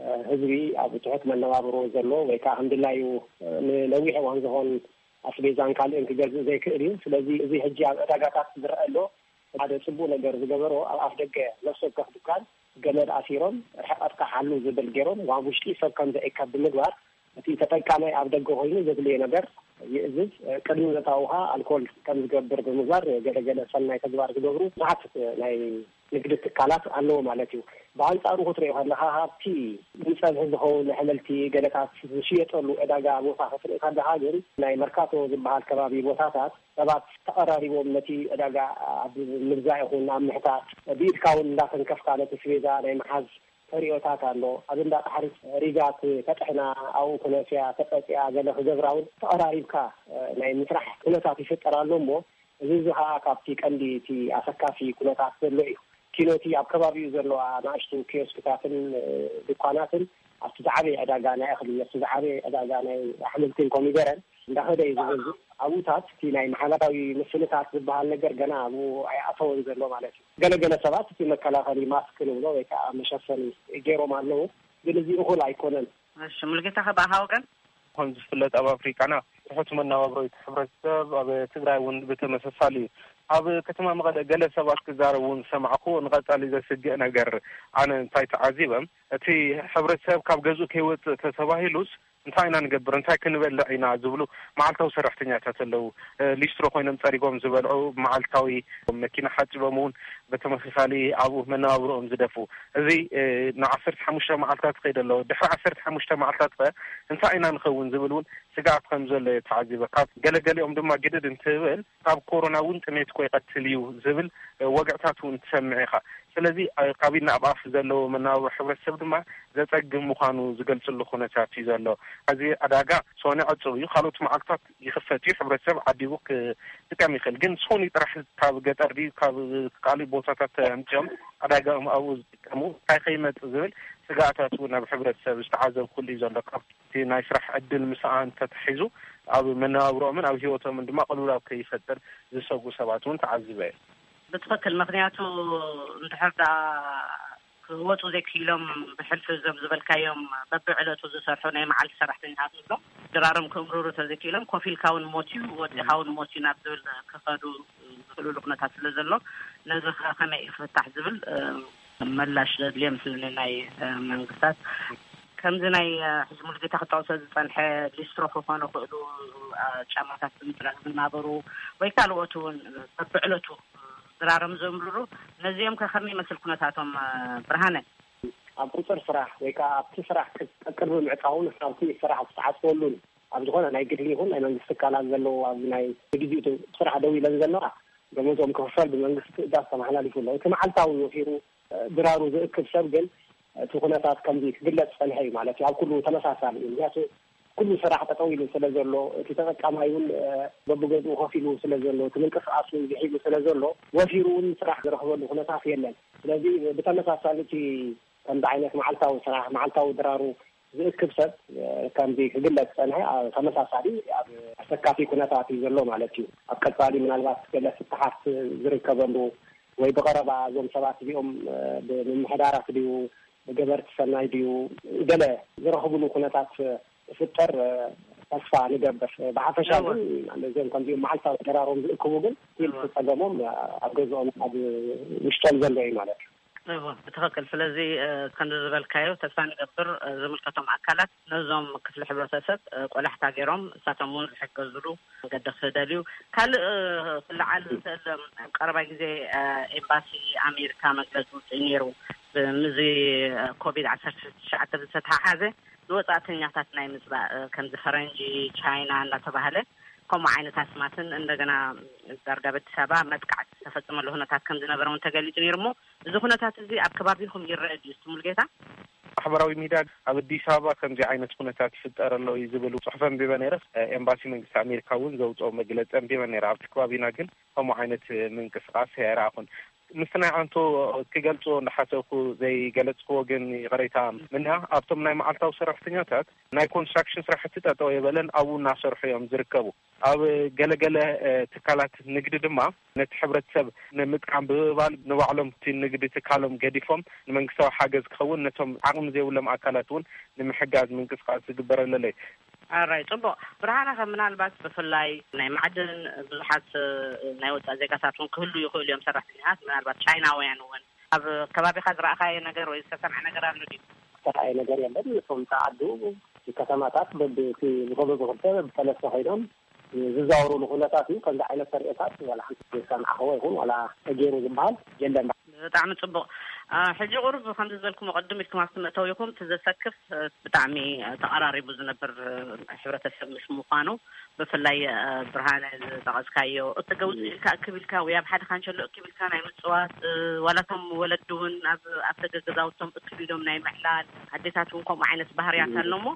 እ፣ ህዝቢ ኣብ ትሑት መነባብሮ ዘሎ ወይ ከኣ ከም ድላዩ፣ እ፣ ንነዊሕ እዋን ዝኾን ኣስቤዛን ካልእን ክገዝእ ዘይክእል እዩ። ስለዚ እዚ ሕጂ ኣብ ዕዳጋታት ዝረአ ኣሎ ሓደ ጽቡቕ ነገር ዝገበሮ፣ ኣብ ኣፍ ደገ ነፍሲ ወከፍ ድኳን ገመድ ኣሲሮም፣ ርሕቀትካ ሓሉ ዝብል ገይሮም፣ ኣብ ውሽጢ ሰብ ከም ዘእከብ ብምግባር፣ እቲ ተጠቃማይ ኣብ ደገ ኮይኑ ዘድልዮ ነገር ይእዝዝ። ቅድሚ ምእታዉ ኸኣ ኣልኮል ከም ዝገብር ብምግባር ገለገለ ሰናይ ተግባር ዝገብሩ ብዙሓት ናይ ንግዲ ትካላት ኣለዎ ማለት እዩ። ብኣንጻሩ ክትሪኦ ከለኻ፣ ካብቲ ንጸብሒ ዝኸውን ኣሕምልቲ ገለታት ዝሽየጠሉ ዕዳጋ ቦታ ክትርኢ ከለኻ ግን፣ ናይ መርካቶ ዝበሃል ከባቢ ቦታታት ሰባት ተቐራሪቦም ነቲ ዕዳጋ ኣብ ምግዛእ ይኹን ኣብ ምሕታት፣ ብኢድካ እውን እንዳተንከፍካ ነቲ ስቤዛ ናይ ምሓዝ ተሪኦታት ኣሎ። ኣብ እንዳ ጣሕሪት ሪጋ ክ-፣ ከጥሕና፣ ኣብኡ ክነስያ፣ ከጠጥያ፣ ገለ ክገብራ እውን ተቐራሪብካ፣ እ፣ ናይ ምስራሕ ኩነታት ይፍጠር ኣሎ እሞ፣ እዚ፣ እዚ ኸኣ ካብቲ ቀንዲ እቲ ኣሰካፊ ኩነታት ዘሎ እዩ። ኪኖቲ ኣብ ከባቢኡ ዘለዋ ንኣሽቱ ኪዮስክታትን፣ እ፣ ድኳናትን ኣብቲ ዝዓበየ ዕዳጋ ናይ እኽሊ፣ ኣብቲ ዝዓበየ ዕዳጋ ናይ ኣሕምልትን ኮሚደረን እንዳኸደ እዩ ዝገዝእ። ኣብኡታት እቲ ናይ ማሕበራዊ ምስልታት ዝበሃል ነገር ገና ኣብኡ ኣይኣተወን ዘሎ ማለት እዩ። ገለገለ ሰባት እቲ መከላኸሊ ማስክ ንብሎ ወይ ከዓ መሸፈኒ ገይሮም ኣለዉ፣ ግን እዚ እኹል ኣይኮነን። እሺ፣ ሙሉጌታ፣ ከ ብኣኻ ወገን? ከም ዝፍለጥ ኣብ ኣፍሪቃና ትሑት መነባብሮ እዩ እቲ ሕብረተሰብ፣ ኣብ ትግራይ እውን ብተመሳሳሊ እዩ። ኣብ ከተማ መቐለ ገለ ሰባት ክዛረቡ እውን ዝሰማዕኩ፣ ንቐጻሊ ዘስግእ ነገር ኣነ እንታይ ተዓዚበ፣ እቲ ሕብረተሰብ ካብ ገዝኡ ከይወጽእ ተተባሂሉስ እንታይ ኢና ንገብር፣ እንታይ ክንበልዕ ኢና ዝብሉ መዓልታዊ ሰራሕተኛታት ኣለዉ። እ፣ ሊስትሮ ኮይኖም ጸሪጎም ዝበልዑ፣ መዓልታዊ መኪና ሓጺቦም እውን ብተመሳሳሊ ኣብኡ መነባብሮኦም ዝደፍኡ። እዚ፣ እ፣ ንዓሰርተ ሓሙሽተ መዓልታት ይኸይድ ኣሎ። ድሕሪ ዓሰርተ ሓሙሽተ መዓልታት ከ እንታይ ኢና ንኸውን ዝብል እውን ስግኣት ከም ዘሎ እየ ተዓዚበ። ካብ ገለገሊኦም ድማ ግድድ እንትብል፣ ካብ ኮሮና እውን ጥሜት እኮ ይቐትል እዩ ዝብል፣ እ፣ ወግዕታት እውን ትሰምዕ ኢኻ። ስለዚ፣ እ፣ ካብ ኢድ ናብ ኣፍ ዘለዎ መነባብሮ ሕብረተሰብ ድማ ዘጸግም ምዃኑ ዝገልጽሉ ኩነታት እዩ ዘሎ። እዚ ዕዳጋ ሶኒ ዕጹው እዩ። ካልኦት መዓልታት ይኽፈት እዩ። ሕብረተሰብ ዓዲቡ ክጥቀም ይኽእል። ግን ሶኒ ጥራሕ ካብ ገጠር ድዩ ካብ ካልእ ቦታታት ኣምጺኦም ዕዳጋኦም ኣብኡ ዝጥቀሙ፣ እንታይ ከይመጽእ ዝብል ስግኣታት እውን ኣብ ሕብረተሰብ ዝተዓዘብኩሉ እዩ ዘሎ። ካብ እቲ ናይ ስራሕ ዕድል ምስኣን ተታሒዙ ኣብ መነባብሮኦምን ኣብ ህይወቶምን ድማ ቅልውላው ከይፈጥር ዝሰጉ ሰባት እውን ተዓዚበ እየ። ብትኽክል፣ ምኽንያቱ እንድሕር ደኣ ክወፁ ዘይክኢሎም፣ ብሕልፊ እዞም ዝበልካዮም በብዕለቱ ዝሰርሑ ናይ መዓልቲ ሰራሕተኛታት ንብሎም ድራሮም ክእምርሩ ተዘይክኢሎም፣ ኮፍ ኢልካ እውን ሞት እዩ፣ ወፂኻ እውን ሞት እዩ ናብ ዝብል ክኸዱ ዝኽእሉሉ ኩነታት ስለ ዘሎ፣ ነዚ ከ ከመይ እዩ ክፍታሕ ዝብል፣ እ፣ ምላሽ ዘድልዮ ምስለኒ ናይ፣ እ፣ መንግስታት። ከምዚ ናይ፣ እ፣ ሕጂ ሙሉጌታ ክጠቕሶ ዝጸንሐ ሊስትሮ ክኾኑ ይኽእሉ፣ እ፣ ጫማታት ብምጽራግ ዝናበሩ ወይ ካልኦት እውን በብዕለቱ ድራሮም ዘእምርሩ፣ ነዚኦም ከ ከመይ ይመስል ኩነታቶም፣ እ፣ ብርሃነ? ኣብ ቁጽር ስራሕ ወይ ከኣ ኣብቲ ስራሕ ቅ-፣ ቅድሚ ምዕጻውን ካብቲ ስራሕ ዝተዓጽወሉን ኣብ ዝኾነ ናይ ግሊ ይኹን ናይ መንግስቲ ትካላት ዘለዉ ኣብዚ ናይ ንግዜኡ ስራሕ ደው ኢለን ዘለዋ ደሞዞም ክኽፈል ብመንግስቲ ትእዛዝ ተመሓላሊፉ ኣሎ። እቲ መዓልታዊ ወፊሩ፣ እ፣ ድራሩ ዝእክብ ሰብ ግን እቲ ኩነታት ከምዚ ክግለጽ ጸንሐ እዩ ማለት እዩ። ኣብ ኩሉ ተመሳሳሊ እዩ። ምክንያቱ ኩሉ ስራሕ ጠጠው ኢሉ ስለ ዘሎ፣ እቲ ተጠቃማይ እውን፣ እ፣ በብገዝኡ ኮፍ ኢሉ ስለ ዘሎ፣ እቲ ምንቅስቃስ እውን ዝሒሉ ስለ ዘሎ፣ ወፊሩ እውን ስራሕ ዝረኽበሉ ኩነታት የለን። ስለዚ ብተመሳሳሊ እቲ ከምዚ ዓይነት መዓልታዊ ስራሕ፣ መዓልታዊ ድራሩ ዝእክብ ሰብ፣ እ፣ ከምዚ ክግለጽ ጸንሐ፣ ኣብ ተመሳሳሊ ኣብ ኣሰካፊ ኩነታት እዩ ዘሎ ማለት እዩ። ኣብ ቀጻሊ ምናልባት ገለ ፍትሓት ዝርከበሉ ወይ ብቐረባ እዞም ሰባት እዚኦም፣ እ፣ ብምምሕዳራት ድዩ፣ ብገበርቲ ሰናይ ድዩ፣ ገለ ዝረኽብሉ ኩነታት ክፍጠር፣ እ፣ ተስፋ ንገብር። ብሓፈሻ እወ። ግን ነዚኦም ከምዚኦም መዓልታዊ ድራሮም ዝእክቡ ግን እቲ እወ። ጸገሞም ኣብ ገዝኦም ኣብ ውሽጦም ዘሎ እዩ ማለት እዩ። እወ፣ ብትኽክል። ስለዚ፣ እ፣ ከምዚ ዝበልካዮ ተስፋ ንገብር፣ እ፣ ዝምልከቶም ኣካላት ነዞም ክፍሊ ሕብረተሰብ፣ እ፣ ቆላሕታ ገይሮም እሳቶም እውን ዝሕገዝሉ መገዲ ክደልዩ። ካልእ፣ እ፣ ክለዓል ዝኽእል፣ እ፣ ኣብ ቀረባ ግዜ፣ እ፣ ኤምባሲ ኣሜሪካ መግለጺ ውፅእ ነይሩ። ብ-፣ ምስዚ፣ እ፣ ኮቪድ ዓሰርተ ትሽዓተ ብዝተተሓሓዘ ንወጻእተኛታት ናይ ምጽባእ፣ እ፣ ከምዚ ፈረንጂ፣ ቻይና እናተባህለ ከምኡ ዓይነት ኣስማትን እንደገና ዳርጋ በቲ ሰባ መጥቃዕቲ ዝተፈጸመሉ ኩነታት ከም ዝነበረ እውን ተገሊጹ ነይሩ። እሞ እዚ ኩነታት እዚ ኣብ ከባቢኹም ይረአ ድዩ? እስቲ ሙሉጌታ። ማሕበራዊ ሚድያ ኣብ ኣዲስ ኣበባ ከምዚ ዓይነት ኩነታት ይፍጠር ኣሎ እዩ ዝብል ጽሑፍ ኣንቢበ ነይረ። ኤምባሲ መንግስቲ ኣሜሪካ እውን ዘውፅኦ መግለፂ ኣንቢበ ነይረ። ኣብቲ ከባቢና ግን ከምኡ ዓይነት ምንቅስቃስ ኣይረኣኹን። ምስቲ ናይ ኣንቶ ክገልፅዎ እንዳሓሰብኩ ዘይገለፅክዎ ግን ይቕሬታ ምንያ፣ ኣብቶም ናይ መዓልታዊ ሰራሕተኛታት ናይ ኮንስትራክሽን ስራሕቲ ጠጠው የበለን ኣብኡ እናሰርሑ እዮም ዝርከቡ። ኣብ ገለገለ፣ እ፣ ትካላት ንግዲ ድማ ነቲ ሕብረተሰብ ንምጥቃም ብምባል ንባዕሎም እቲ ንግዲ ትካሎም ገዲፎም ንመንግስታዊ ሓገዝ ክኸውን ነቶም ዓቕሚ ዘይብሎም ኣካላት እውን ንምሕጋዝ ምንቅስቃስ ዝግበረለለይ። ኣራይ፣ ጽቡቕ። ብርሃነ፣ ከም ምናልባት ብፍላይ ናይ ማዕድን ብዙሓት፣ እ፣ ናይ ወጻኢ ዜጋታት እውን ክህሉ ይኽእሉ እዮም፣ ሰራሕተኛታት፣ ምናልባት ቻይናውያን እውን። ኣብ ከባቢኻ ዝረኣኻዮ ነገር ወይ ዝተሰምዐ ነገር ኣሎ ድዩ? ዝተረኣየ ነገር የለን። እቶም ተዓዱ ከተማታት በብቲ ብኸበቢ ክልተ በብሰለስተ ኮይኖም ዝዛወሩሉ ኩነታት እዩ። ከምዚ ዓይነት ተርእዮታት ዋላ ሓንቲ ዝሰማዕኽዎ ይኹን ዋላ ተገይሩ ዝበሃል የለን። ብጣዕሚ ጽቡቕ። አ፣ ሕጂ ቁሩብ ከምዚ ዝበልኩሞ ቅድም ኢልኩም ኣብቲ መእተዊኹም እቲ ዘሰክፍ፣ እ፣ ብጣዕሚ፣ እ፣ ተቐራሪቡ ዝነብር፣ እ፣ ሕብረተሰብ ምስ ምዃኑ ብፍላይ፣ እ፣ ብርሃነ ዝጠቐስካዮ እቲ ገውፅ ኢልካ እክብ ኢልካ ወይ ኣብ ሓደ ካንሸሎ እክብ ኢልካ ናይ ምፅዋት፣ እ፣ ዋላ እቶም ወለዲ እውን ኣብ ኣፍደገ ገዛውቶም እክብ ኢሎም ናይ ምዕላል ኣዴታት እውን ከምኡ ዓይነት ባህርያት ኣሎ እሞ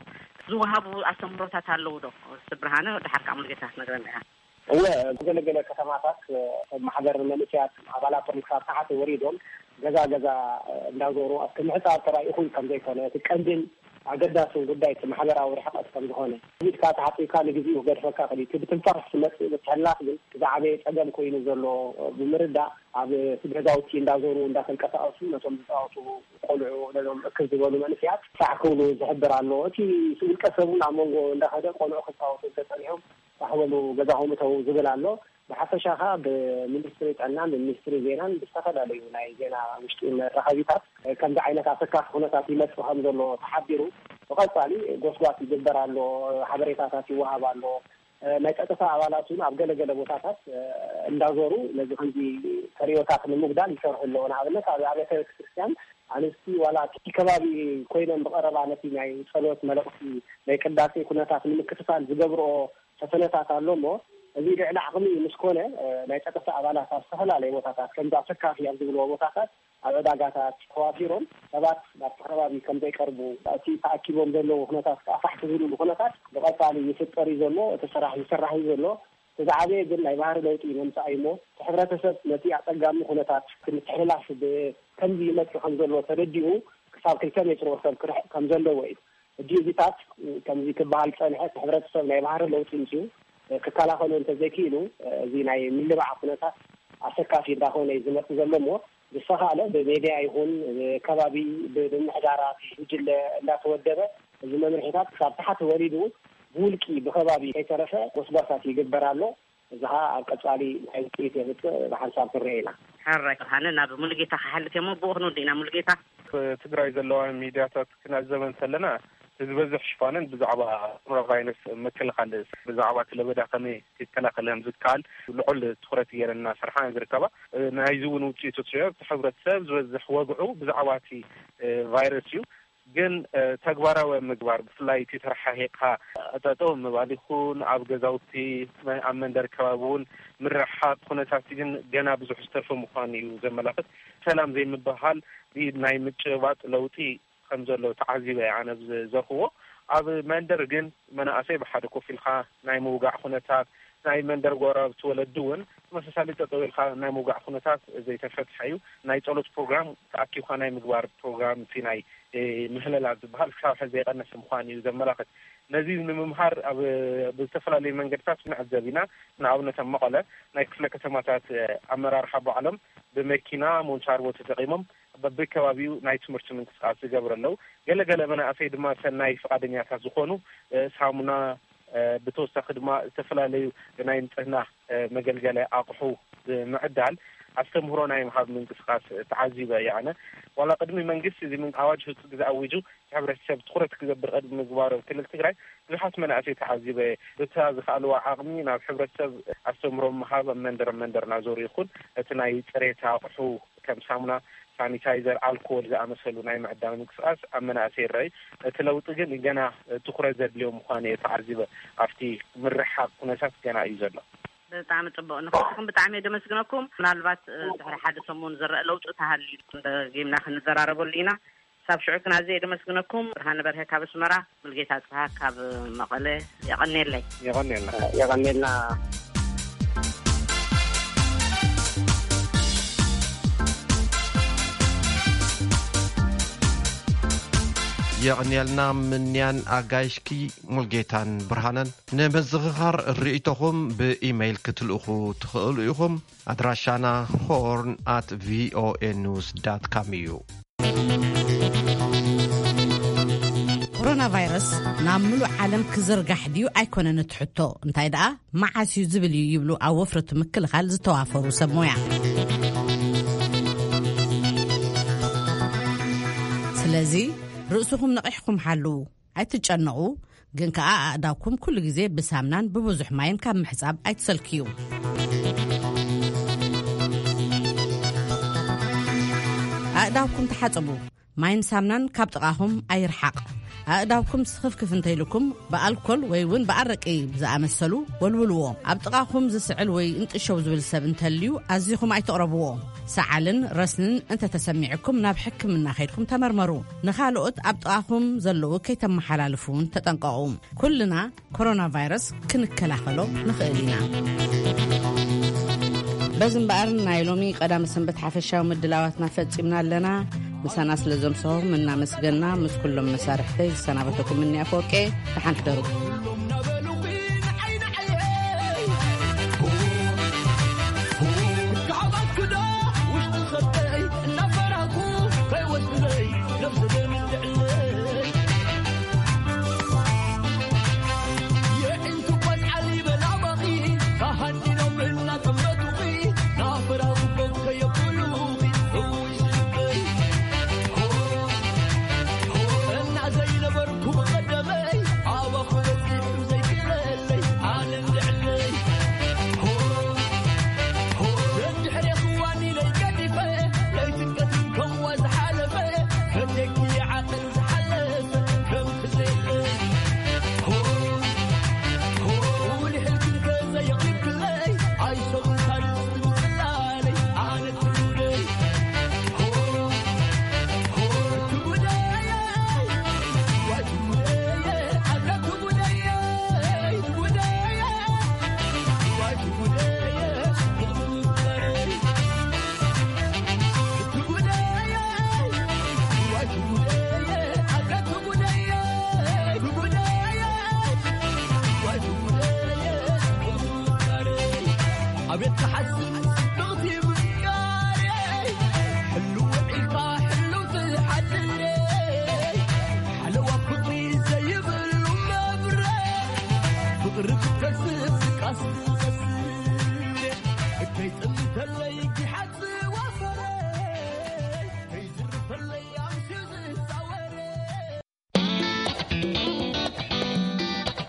ዝወሃቡ ኣስተምህሮታት ኣለዉ ዶ? እስቲ ብርሃነ፣ ድሓር ከዓ ሙሉጌታ ክትነግረና ኢኻ። እወ፣ ገለገለ ከተማታት፣ እ፣ ማሕበር መንእሰያት ኣባላቶም ክሳብ ታሕቲ ወሪዶም ገዛ ገዛ፣ እ፣ እንዳዞሩ ኣብቲ ምሕጻብ ተራኢኹ ከም ዘይኮነ፣ እቲ ቀንድን ኣገዳስን ጉዳይ እቲ ማሕበራዊ ርሕቀት ከም ዝኾነ፣ ኢድካ ተሓጺብካ ንግዜኡ ክገድፈካ ክእል እዩ። እቲ ብትንፋስ ዝመጽእ ምትሕልላፍ ግን ዝዓበየ ጸገም ኮይኑ ዘሎ ብምርዳእ፣ ኣብ ገዛውቲ እንዳዞሩ እንዳተንቀሳቐሱ ነቶም ዝጻወቱ ቆልዑ፣ ነዞም እክብ ዝበሉ መንእሰያት ሳዕ ክብሉ ዝሕብር ኣሎ። እቲ ውልቀ ሰብ እውን ኣብ መንጎ እንዳኸደ ቆልዑ ክጻወቱ እንተጸኒሖም ሳሕ በሉ ገዛኹም እተዉ ዝብል ኣሎ። ብሓፈሻ ኸኣ ብሚኒስትሪ ጥዕናን ብሚኒስትሪ ዜናን ብዝተፈላለዩ ናይ ዜና ውሽጢ መራኸቢታት ከምዚ ዓይነት ኣሰካፊ ኩነታት ይመጽእ ከም ዘሎ ተሓቢሩ፣ ብቐጻሊ ጎስጓስ ይግበር ኣሎ፣ ሓበሬታታት ይወሃብ ኣሎ። ናይ ጸጥታ ኣባላት እውን ኣብ ገለገለ ቦታታት እንዳዞሩ ነዚ ከምዚ ተርእዮታት ንምጉዳል ይሰርሑ ኣለዉ። ንኣብነት ኣብ ኣብያተ ቤተክርስትያን ኣንስቲ ዋላ እቲ ከባቢ ኮይነን ብቐረባ ነቲ ናይ ጸሎት መልእኽቲ ናይ ቅዳሴ ኩነታት ንምክትታል ዝገብርኦ ፈተነታት ኣሎ እሞ፣ እዚ ልዕሊ ዓቕሚ ምስ ኮነ፣ እ፣ ናይ ጸጥታ ኣባላት ኣብ ዝተፈላለየ ቦታታት፣ ከምዚ ኣሰካፊ ኣብ ዝብልዎ ቦታታት፣ ኣብ ዕዳጋታት ተዋፊሮም ሰባት ናብቲ ከባቢ ከም ዘይቀርቡ፣ እቲ ተኣኪቦም ዘለዉ ኩነታት ከኣ ፋሕ ክብሉሉ ኩነታት ብቐጻሊ ይፍጠር እዩ ዘሎ። እቲ ስራሕ ይስራሕ እዩ ዘሎ። እቲ ዝዓበየ ግን ናይ ባህሪ ለውጢ ምምጻእ እዩ እሞ፣ እቲ ሕብረተሰብ ነቲ ኣጸጋሚ ኩነታት ምትሕልላፍ ብ-፣ ከምዚ ይመጽእ ከም ዘሎ ተረዲኡ፣ ክሳብ ክልተ ሜትሮ ሰብ ክርሕቕ ከም ዘለዎ እዩ። ሕጂ እዚታት ከምዚ ክበሃል ጸንሐ፣ እቲ ሕብረተሰብ ናይ ባህሪ ለውጢ ምጽኡ ክከላኸሎ እንተዘይክኢሉ፣ እዚ ናይ ምልባዕ ኩነታት ኣሰካፊ እንዳኾነ እዩ ዝመጽእ ዘሎ እሞ፣ ብዝተኻእለ ብሜድያ ይኹን ከባቢ ብምሕዳራት ጉጅለ እንዳተወደበ፣ እዚ መምርሒታት ክሳብ ታሕቲ ወሪዱ ብውልቂ ብከባቢ ከይተረፈ ጎስጓሳት ይግበር ኣሎ። እዚ ኸዓ ኣብ ቀጻሊ እንታይ ውፅኢት የምፅእ ብሓንሳብ ክንርኢ ኢና። ሕራይ ብርሃነ፣ ናብ ሙሉጌታ ክሓልፍ እየ እሞ ብኡ ክንውድእ ኢና። ሙሉጌታ። ትግራይ ዘለዋ ሚድያታት ክነዕዘበ እንተለና፣ ዝበዝሕ ሽፋነን ብዛዕባ ኮሮና ቫይረስ ምክልኻል፣ ብዛዕባ እቲ ለበዳ ከመይ ክከላኸል ከም ዝከኣል ልዑል ትኹረት ገይረን እናሰርሓ እየን ዝርከባ። ናይዚ እውን ውፅኢቱ ትሪኦ፣ እቲ ሕብረተሰብ ዝበዝሕ ወግዑ ብዛዕባ እቲ ቫይረስ እዩ። ግን ተግባራዊ ኣብ ምግባር፣ ብፍላይ እቲ ተረሓሒቕካ ጠጠው ምባል ይኹን ኣብ ገዛውቲ፣ ኣብ መንደር ከባቢ እውን ምርሕሓቕ ኩነታት ግን ገና ብዙሕ ዝተርፈ ምዃኑ እዩ ዘመላኽት። ሰላም ዘይምብህሃል ብኢድ ናይ ምጭባጥ ለውጢ ከም ዘሎ ተዓዚበ እየ ኣነ ብዘርክቦ። ኣብ መንደር ግን መናእሰይ ብሓደ ኮፍ ኢልካ ናይ ምውጋዕ ኩነታት፣ ናይ መንደር ጎረባብቲ ወለዲ እውን ተመሳሳሊ ጠጠው ኢልካ ናይ ምውጋዕ ኩነታት ዘይተፈትሐ እዩ። ናይ ጸሎት ፕሮግራም ተኣኪብካ ናይ ምግባር ፕሮግራም፣ እቲ ናይ ምህለላ ዝበሃል ክሳብ ሕዚ ዘይቀነሰ ምዃኑ እዩ ዘመላኽት። ነዚ ንምምሃር ኣብ ብዝተፈላለዩ መንገድታት ንዕዘብ ኢና። ንኣብነት ኣብ መቐለ ናይ ክፍለ ከተማታት ኣመራርሓ ባዕሎም ብመኪና ሞንቻርቦ ተጠቒሞም በብከባቢኡ ናይ ትምህርቲ ምንቅስቃስ ዝገብሩ ኣለዉ። ገለገለ መናእሰይ ድማ ሰናይ ፍቓደኛታት ዝኾኑ ሳሙና፣ ብተወሳኺ ድማ ዝተፈላለዩ ናይ ንፅህና መገልገሊ ኣቑሑ ብምዕዳል ኣስተምህሮ ናይ ምሃብ ምንቅስቃስ ተዓዚበ እየ ኣነ። ዋላ ቅድሚ መንግስቲ እዚ ምን ኣዋጅ ህፁ ግዜ ኣዊጁ፣ እቲ ሕብረተሰብ ትኹረት ክገብር ቅድሚ ምግባሩ ኣብ ክልል ትግራይ ብዙሓት መናእሰይ ተዓዚበ። በታ ዝኸኣልዋ ዓቕሚ ናብ ሕብረተሰብ ኣስተምህሮ ምሃብ ኣብ መንደር መንደር እናዞሩ ይኹን እቲ ናይ ፅሬት ኣቑሑ ከም ሳሙና፣ ሳኒታይዘር፣ ኣልኮል ዝኣመሰሉ ናይ ምዕዳል ምንቅስቃስ ኣብ መናእሰይ ይረኣዩ። እቲ ለውጢ ግን ገና ትኹረት ዘድልዮ ምዃኑ እየ ተዓዚበ። ኣብቲ ምርሕሓቕ ኩነታት ገና እዩ ዘሎ። ብጣዕሚ ጽቡቕ። ንኽልቲኹም ብጣዕሚ እየ ደመስግነኩም። ምናልባት ድሕሪ ሓደ ሰሙን ዝረአ ለውጢ ተሃልዩ ደጊምና ክንዘራረበሉ ኢና። ሳብ ሽዑ ግን ኣዝየ እየ ደመስግነኩም። ብርሃነ በርሀ ካብ ኣስመራ፣ ሙልጌታ ጽሃ ካብ መቐለ። የቐንየለይ። የቐንየልና። የቐንየልና። የቐንየልና ምንያን ኣጋይሽኪ ሙልጌታን ብርሃነን። ንምዝኽኻር ርእይቶኹም ብኢመይል ክትልእኹ ትኽእሉ ኢኹም። ኣድራሻና ሆርን ኣት ቪኦኤ ኒውስ ዳት ካም እዩ። ኮሮና ቫይረስ ናብ ምሉእ ዓለም ክዝርጋሕ ድዩ ኣይኮነን እቲ ሕቶ፣ እንታይ ደኣ መዓስ እዩ ዝብል እዩ ይብሉ ኣብ ወፍሪ እቲ ምክልኻል ዝተዋፈሩ ሰብ ሞያ። ስለዚ ርእስኹም ነቒሕኩም ሓልዉ። ኣይትጨነቑ፣ ግን ከኣ ኣእዳውኩም ኩሉ ግዜ ብሳምናን ብብዙሕ ማይን ካብ ምሕጻብ ኣይትሰልክዩ። ኣእዳውኩም ተሓጸቡ። ማይን ሳምናን ካብ ጥቓኹም ኣይርሓቕ። ኣእዳውኩም ስኽፍክፍ እንተኢልኩም ብኣልኮል ወይ እውን ብኣረቂ ዝኣመሰሉ ወልውልዎ። ኣብ ጥቓኹም ዝስዕል ወይ እንጥሸው ዝብል ሰብ እንተልዩ ኣዚኹም ኣይትቕረብዎ። ሰዓልን ረስንን እንተተሰሚዕኩም ናብ ሕክምና ከይድኩም ተመርመሩ። ንኻልኦት ኣብ ጥቓኹም ዘለዉ ከይተመሓላልፉ እውን ተጠንቀቑ። ኩልና ኮሮና ቫይረስ ክንከላኸሎ ንኽእል ኢና። በዚ እምበኣር ናይ ሎሚ ቀዳመ ሰንበት ሓፈሻዊ ምድላዋትና ፈጺምና ኣለና። ምሳና ስለ ዘምሰኹም እናመስገና ምስ ኩሎም መሳርሕተይ ዝሰናበተኩም ምንያ ፈወርቄ፣ ደሓን ሕደሩ። ርክብ ከስብ ካስብ ከስብ ከይጥልተለይ